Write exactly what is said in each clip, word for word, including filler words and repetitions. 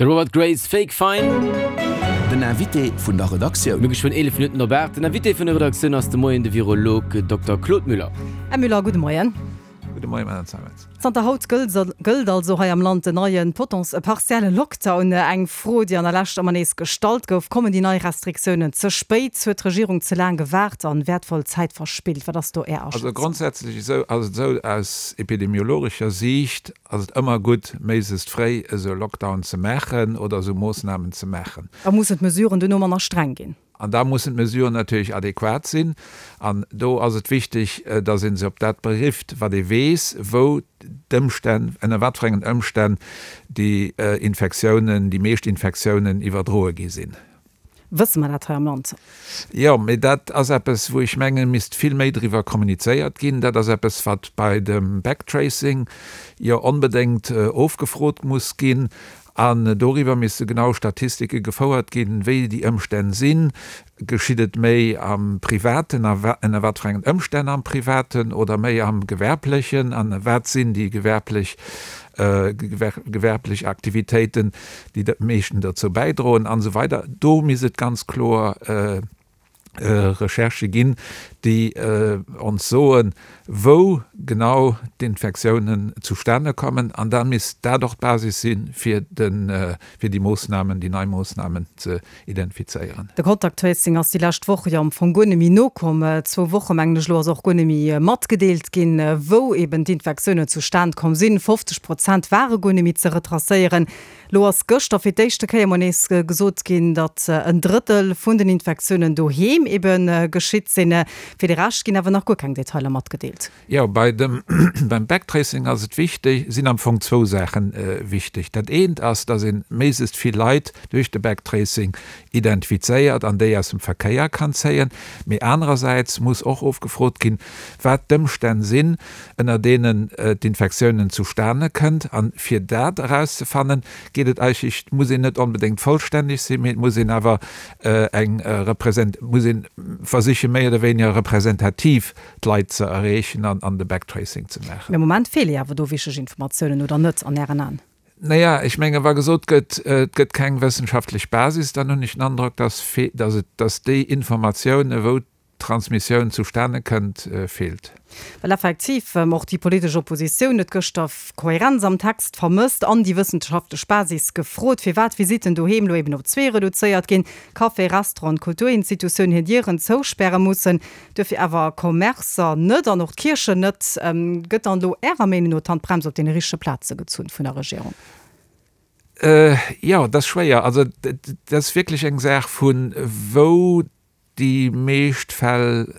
De Robert Grace, Fake Fine. Den Invité vun der Redaktioun. Mir geschwënn eelef Minutten op aacht. Den Invité vun der Redaktioun ass de Moien de Virolog Dokter Claude Müller. Här Müller, gudde Moien. Gudde Moien, Madame Zeimetz. Zanter haut gëllt also hei am Land den neie partielle Lockdown. Eng Fro, déi an der Lescht ëmmer nees gestallt gouf, Kommen déi nei Restriktiounen ze spéit? Huet d'Regierung ze laang gewaart an wäertvoll Zäit verspillt? Wat ass do Är Also Aschätzung? grondsätzlech esou ass et esou, aus epidemiologescher Siicht ass et ëmmer gutt, méiglechst fréi esou e Lockdown ze maachen oder esou Moossnamen ze maachen. Da mussen d'Mesuren duerno manner streng ginn. An da mussen d'Mesuren natierlech adequat sinn. An do ass et wichteg, datt ee se op dat berifft, wat ee weess, wou d'Ëmstänn, ënner wat fir engen Ëmstänn déi Infektiounen, déi meescht Infektiounen iwwerdroe gi sinn. Wësse mer dat hei am Land? Jo, mee dat ass eppes, wou ech mengen, misst vill méi driwwer kommunizéiert ginn. Dat ass eppes, wat bei dem Backtracing jo onbedéngt ofgefrot muss ginn. An doriwwer misste genau Statistike gefouert ginn, wéi déi Ëmstänn sinn. Geschitt et méi am Privaten a ënner wat fir engen Ëmstänn am Privaten oder méi am Gewerblechen? An wat sinn déi gewerblech, gewerblech Aktivitéiten, déi am meeschten dozou bäidroen? An esou weider. Do misst et ganz kloer Recherchë ginn, déi ons soen, wou genau d'Infektiounen zustane kommen. An da misst dat och d'Basis si fir déi Moossnamen, déi nei Moossnamen ze identifizéieren. De Contact Tracing ass déi lescht Woche jo am Fong guer net méi nokomm. Zwou Woche mengen ech elo ass och guer net méi matgedeelt ginn, wou eben d'Infektiounen zustan komm sinn. fofzeg Prozent ware guer net méi ze retracéieren. Lo ass gëschter fir d'éischte Kéier mol nees gesot ginn, datt en Drëttel vun den Infektiounen doheem ebe geschitt sinn. Fir de Rescht ginn awer nach guer keng Detailer matgedeelt. Jo, bei dem, beim Backtracing ass et wichteg, sinn am Fong zwou Saache wichteg. Dat eent ass, datt ee méiglechst vill Leit duerch de Backtracing identifizéiert an déi aus dem Verkéier kann zéien. Mee anerersäits muss och ofgefrot ginn, wat d'Ëmstänn sinn, ënner deenen d'Infektiounen zustane kënnt. An fir dat erauszefannen, geet et eigentlech, muss een net onbedéngt vollstänneg sinn, mee et muss een awer eng represent, muss een versichen, méi oder wéiniger representativ d'Leit ze erreechen an an de Backtracing ze maachen. Mee am Moment feele jo awer do wichteg Informatiounen, oder net, an Ären Aen? Naja, ech menge wa gesot gëtt, et gëtt keng wëssenschaftlech Basis, dann hunn ech den Androck, dass, dass et, dass déi Informatioune wou d'Transmissioun zustane kënnt, feelt. Well effektiv och déi politesch Oppositioun huet gëschter Kohärenz am Text vermësst an déi wëssenschaftlech Basis gefrot, firwat Visitten doheem elo eben op zwee reduzéiert ginn, Café, Restaurant, Kulturinstitutiounen hir Dieren zouspäre mussen, duerfir awer Commercer net an och d'Kierchen net. Gëtt dann elo Ärer Meenung no d'Handbrems op deene richtege Plaze gezunn vun der Regierung? Jo, dat ass schwéier. Also dat ass wierklech eng Saach vu wou déi meescht Fäll,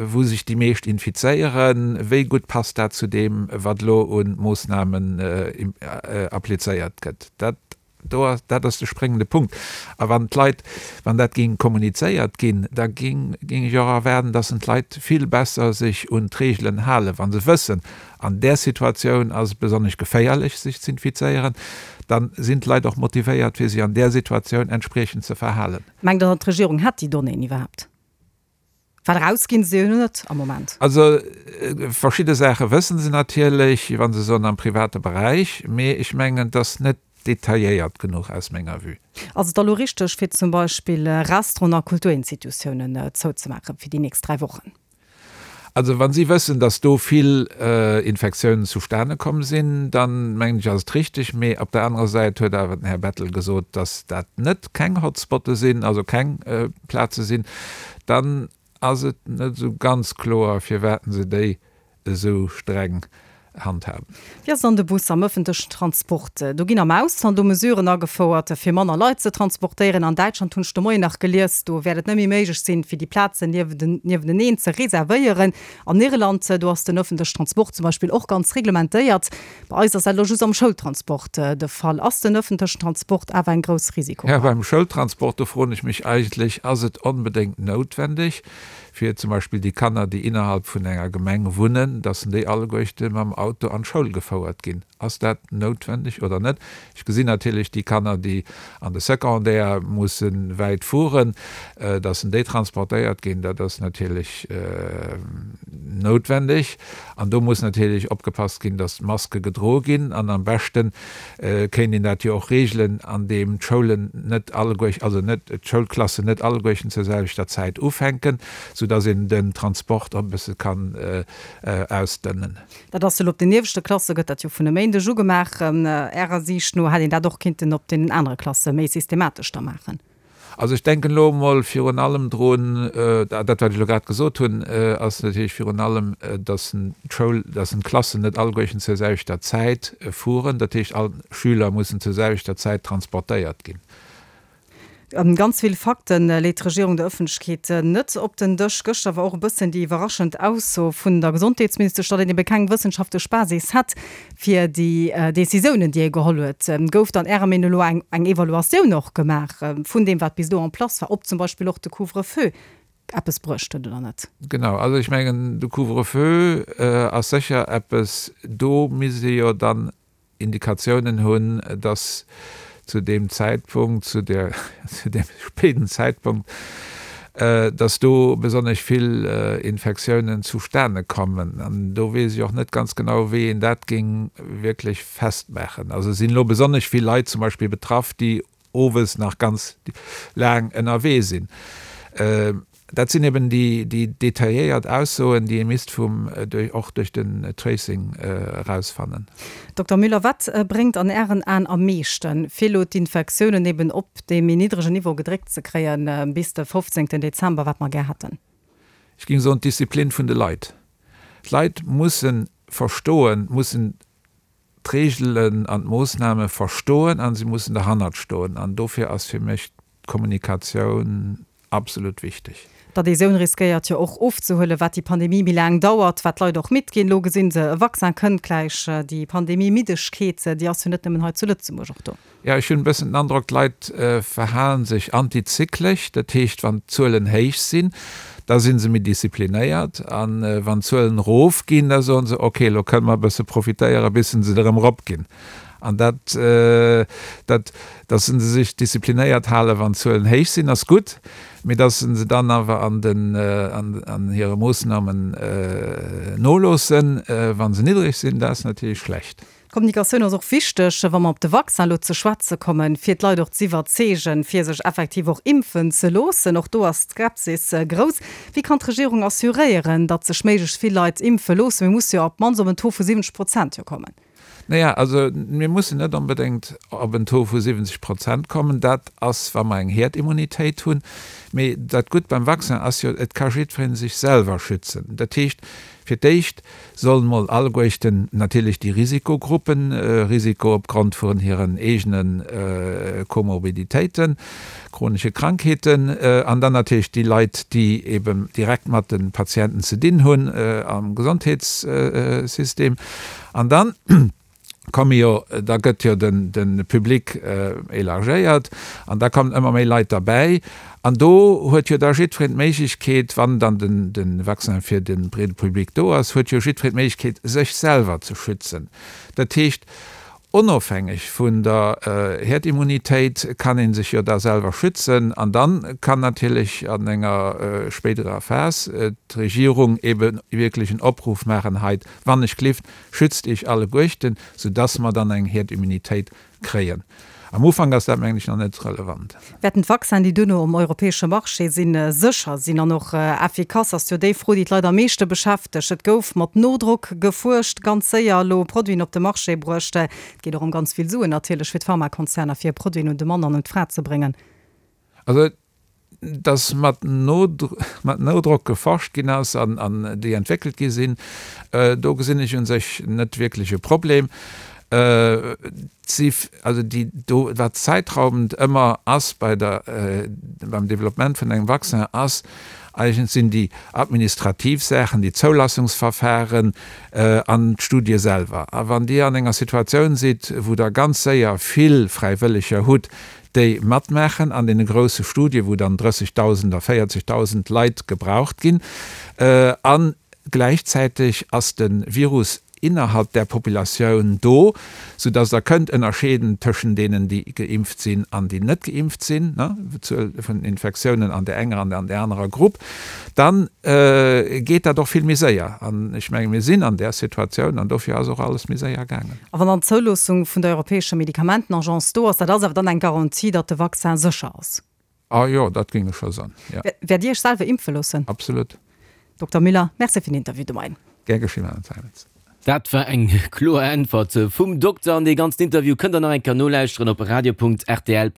wou sech déi meescht infizéieren, wéi gutt passt dat zu deem, wat elo u Moossnamen applizéiert gëtt? Dat do ass, dat ass de spréngende Punkt. A wann d'Leit, wann dat géing kommunizéiert ginn, da géing, géing ech och erwaarden, dass d'Leit vill besser sech un d'Reegelen halen, wa se wëssen, an där Situatioun ass et besonnesch geféierlech, sech z'infizéieren, da sinn d'Leit och motivéiert, fir sech an där Situatioun entspriechend ze verhalen. Mengt Der dann, d'Regierung hätt déi Donnéeën iwwerhaapt? Well erausginn se jo net am Moment. Also verschidde Saache wësse se natierlech, wa se soen am private Beräich, mee ech mengen, et ass net detailléiert genuch aus menger Vue. Ass et da lo richteg, fir zum Beispill Restauranten a Kulturinstitutiounen zouzemaache fir déi nächst dräi Wochen? Also wa si wëssen, datt do vill Infektiounen zustane komm sinn, dann mengen ech ass et richteg. Mee op der anerer Säit huet awer den Här Bettel gesot, datt dat net keng Hotspotte sinn, also keng Plaze sinn. Dann ass et net esou ganz kloer, firwat se déi esou streng handhaben. Wéi ass dann de Bus am ëffentlechen Transport? Do ginn am Ausland do Mesuren agefouert, fir manner Leit ze transportéieren. An Däitschland hunn ech de Moien nach gelies, do wäert et net méi méiglech sinn, fir déi Plazen niewenteneen ze reservéieren. An Irland, do ass den ëffentlechen Transport zum Beispill och ganz reglementéiert. Bei eis ass dat elo just am Schoultransport de Fall. Ass den ëffentlechen Transport awer eng grouss Risikogefahr? Jo, beim Schoultransport, do froen ech mech eigentlech, ass et onbedéngt noutwendeg, fir zum Beispill déi Kanner, déi innerhalb vun enger Gemeng wunnen, dass déi alleguerte mam Auto an d'Schoul gefouert ginn. Ass dat noutwendeg oder net? Ech gesinn natierlech déi Kanner, déi an de Secondaire musse wäit fueren, dass en déi transportéiert ginn, dat ass natierlech noutwendeg. An do muss natierlech opgepasst ginn, dass d'Maske gedroe ginn. An am beschte kéint een dat jo och reegelen, andeem d'Schoulen net alleguer, also net d'Schoulklassen net alleguerten zur selwechter Zäit ufänken, soudass een den Transport och e bësse kann ausdënnen. Dat ass elo op den ieweschte Klasse gëtt dat jo vun e Méindeg u gemaach. Ärer Siicht no hätt een dat och kinnten op deenen anere Klasse méi systematesch da maachen. Also ech denken elo emol virun allem drun, dat wat ech elo grad gesot hunn, ass natierlech virun allem, datt d'Schoul, datt d'Klassen net alleguerten zur selwechter Zäit fueren. Dat heescht, all Schüler mussen zur selwechter Zäit transportéiert ginn. Ganz vill Fakte leet d'Regierung der Ëffentlechkeet net op den Dësch. Gëschter war och e bëssen déi iwwerraschend Ausso vun der Gesondheetsministesch, datt een ebe keng wëssenschaftlech Basis hätt fir déi Decisiounen, déi ee geholl huet. Gouf dann Ärer Meenung no elo eng Evaluatioun och gemaach vun deem, wat bis elo en place war, ob zum Beispill och de Couvre-feu eppes bruecht huet oder net? Genau, also ech mengen, de Couvre-feu ass sécher eppes, do misst ee jo dann Indikatiounen hunn, dass zu deem Zäitpunkt, zu der, zu deem spéiden Zäitpunkt, dass do besonnesch vill Infektiounen zustane kommen. An do weess ech och net ganz genau, wéi een dat géing wierklech festmaachen. Also sinn elo besonnesch vill Leit zum Beispill betraff, déi owes nach ganz laang ënnerwee sinn. Dat sinn eben déi detailléiert Aussoen, déi ee misst vum, och duerch den Tracing erausfannen. Dokter Müller, wat bréngt an Ären Aen am meeschten, fir elo d'Infektiounen eben op dee méi niddregen Niveau gedréckt ze kréien bis de fofzéngten Dezember, wat mer gär hätten? Ech géing soen, d'Disziplin vun de Leit. D'Leit musse verstoen, mussen d'Reegelen an d'Moossname verstoen a se mussen derhannert stoen. An dofir ass fir mech d'Kommunikatioun absolut wichteg. D'Adhésioun riskéiert jo och ofzehuelen, wat déi Pandemie méi laang dauert, wat d'Leit och midd ginn. Elo gesinn se, e Vaccin kënnt gläich. Déi Pandemie-Middegkeet, déi ass jo net nëmmen hei zu Lëtzebuerg och do. Jo, ech hunn e bëssen den Androck, d'Leit verhale sech antizyklesch. Dat heescht, wann d'Zuelen héich sinn, da si se méi disziplinéiert. A wann d'Zuelen erofginn, da soen se, ok, elo kënne mer e bësse profitéieren, bis se erëm eropginn. An dat, dat, dass se sech disziplinéiert halen, wann d'Zuelen héich sinn, ass gutt, mee dass se dann awer an den, an, an hire Moossnamen noloossen, wa se niddreg sinn, dat ass natierlech schlecht. D'Kommunikatioun ass och wichteg, wa mer op de Vaccin elo ze schwätze kommen, fir d'Leit och z'iwwerzeegen, fir sech effektiv och impfen ze loossen. Och do ass d'Skepsis grouss. Wéi kann d'Regierung assuréieren, datt sech méiglechst vill Leit impfe loossen? Mir musse jo op d'mannst op en Taux vu siwwenzeg Prozent jo kommen. Naja, also mir mussen net onbedéngt op en Taux vu siwwenzeg Prozent kommen. Dat ass, wa mer eng Herdimmunitéit hunn. Mee dat Gutt beim Vaccin ass jo, et ka jiddweree sech selwer schützen. Dat heescht, fir d'éischt sollen mol alleguerten natierlech déi Risikogruppen, Risiko opgrond vun hiren eegene Komorbiditéiten, chronesche Krankheeten, an dann natierlech déi Leit, déi eben direkt mat de Patienten ze dinn hunn am Gesondheetssystem. An dann komme jo, da gëtt jo den, de Public élargéiert an da kommen ëmmer méi Leit derbäi. An do huet jo da jiddwereen d'Méiglechkeet, wann dann den, de Vaccin fir de breede Public do ass, huet jo jiddwereen d'Méiglechkeet, sech selwer ze schützen. Dat heescht, onofhängeg vun der Herdimmunitéit kann ee sech jo da selwer schützen. An dann kann natierlech an enger spéiderer Phas d'Regierung ebe wierklech en Opruff maachen, Hei, wann ech glift, schützt Iech alleguerten, soudass mer dann eng Herdimmunitéit kréien. Am Ufank ass dat, mengen ech, nach net relevant. Wäerten d'Vaccinen, déi duerno um europäesche Marché sinn, sécher sinn an och effikass, ass jo déi Fro, déi d'Leit am meeschte beschäftegt. Et gouf mat Nodrock gefuerscht, ganz séier elo Produiten op de Marché bruecht. Et geet och ëm ganz vill Suen natierlech fir d'Pharmakonzerner, fir Produiten un de Mann an un d'Fra ze bréngen. Also, dass mat Noudrock geforscht ginn ass an déi entwéckelt gi sinn, do gesinn ech u sech net wierklech e Problem. Also déi do, wat zäitraubend ëmmer ass bei der, beim Developpement vun engem Vaccin ass, eigentlech sinn déi administrativ Saachen, déi Zoulassungsverfahren an d'Studie selwer. A wann Dir an enger Situatioun sidd, wou Der ganz séier vill Fräiwëlleger hutt, déi matmaachen an deene grousse Studie, wou dann drëssigdausend a véierzigdausend Leit gebraucht ginn, a gläichzäiteg ass de Virus innerhalb der Populatioun do, soudass Der kënnt ënnerscheeden tëschent deenen, déi geimpft sinn an déi net geimpft sinn, d'Zuel vun den Infektiounen an där enger an an där anerer Grupp, dann geet dat och vill méi séier. An ech menge mir sinn an där Situatioun an dofir ass och alles méi séier gaangen. A wann dann d'Zouloossung vun der Europäescher Medikamentenagence do ass, dat ass awer dann eng Garantie, datt de Vaccin sécher ass? Ah jo, dat géing ech scho soen, jo. Wäert Dir Iech selwer impfe loossen? Absolut. Dokter Müller, Merci fir den Interview de Moien. Gär geschinn, Madame Zeimetz. Dat war eng kloer Äntwert vum Dokter. An dee ganzen Interview kënnt der nach eng Kéier nolauschteren op radio.rtl.